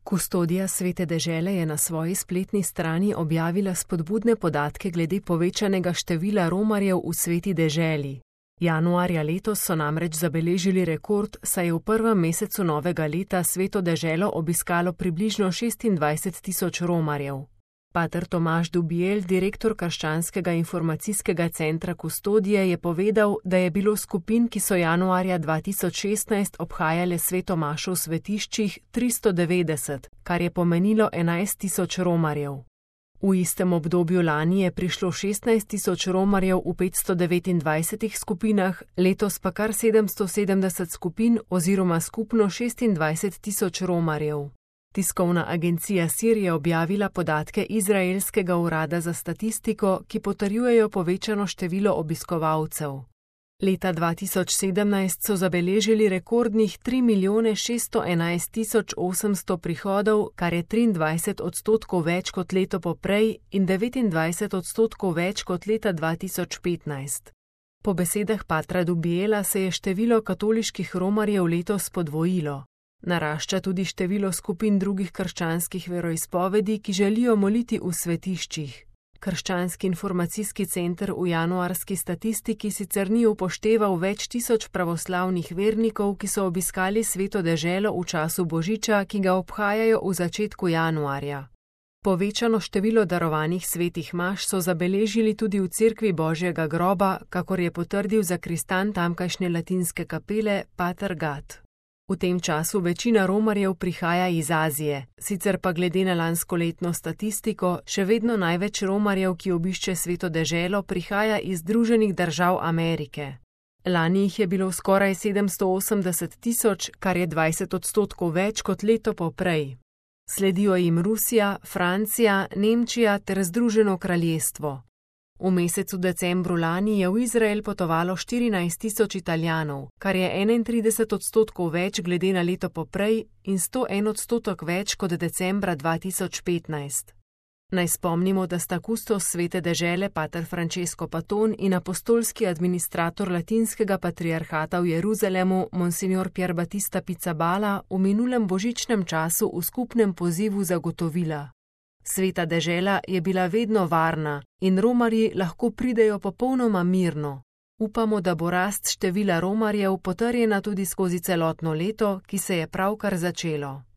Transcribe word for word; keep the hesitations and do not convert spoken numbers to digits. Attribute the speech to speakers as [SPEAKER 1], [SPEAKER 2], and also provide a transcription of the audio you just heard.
[SPEAKER 1] Kustodija Svete dežele je na svoji spletni strani objavila spodbudne podatke glede povečanega števila romarjev v Sveti deželi. Januarja letos so namreč zabeležili rekord, saj je v prvem mesecu novega leta Sveto deželo obiskalo približno šestindvajset tisoč romarjev. Pater Tomaž Dubiel, direktor Krščanskega informacijskega centra Kustodije, je povedal, da je bilo skupin, ki so januarja dva tisoč šestnajst obhajale sveto mašo v svetiščih, tristo devetdeset, kar je pomenilo enajst tisoč romarjev. V istem obdobju lani je prišlo šestnajst tisoč romarjev v petsto devetindvajsetih skupinah, letos pa kar sedemsto sedemdeset skupin oziroma skupno šestindvajset tisoč romarjev. Tiskovna agencija Sir je objavila podatke izraelskega urada za statistiko, ki potrjujejo povečano število obiskovalcev. Leta dva tisoč sedemnajst so zabeležili rekordnih tri milijone šeststo enajst tisoč osemsto prihodov, kar je triindvajset odstotkov več kot leto poprej in devetindvajset odstotkov več kot leta dva tisoč petnajst. Po besedah patra Dubiela se je število katoliških romarjev letos podvojilo. Narašča tudi število skupin drugih krščanskih veroizpovedi, ki želijo moliti v svetiščih. Krščanski informacijski center v januarski statistiki sicer ni upošteval več tisoč pravoslavnih vernikov, ki so obiskali Sveto deželo v času Božiča, ki ga obhajajo v začetku januarja. Povečano število darovanih svetih maš so zabeležili tudi v Cerkvi Božjega groba, kakor je potrdil zakristan tamkajšnje latinske kapele pater Gat. V tem času večina romarjev prihaja iz Azije, sicer pa glede na lanskoletno statistiko še vedno največ romarjev, ki obišče Sveto deželo, prihaja iz Združenih držav Amerike. Lani jih je bilo skoraj sedemsto osemdeset tisoč, kar je dvajset odstotkov več kot leto poprej. Sledijo jim Rusija, Francija, Nemčija ter Združeno kraljestvo. V mesecu decembru lani je v Izrael potovalo štirinajst tisoč Italijanov, kar je enaintrideset odstotkov več glede na leto poprej in sto en odstotek več kot decembra dva tisoč petnajst. Naj spomnimo, da sta kustos Svete dežele pater Francesco Paton in apostolski administrator latinskega patriarhata v Jeruzalemu monsignor Pier Battista Pizzaballa v minulem božičnem času v skupnem pozivu zagotovila: Sveta dežela je bila vedno varna in romarji lahko pridejo popolnoma mirno. Upamo, da bo rast števila romarjev potrjena tudi skozi celotno leto, ki se je pravkar začelo.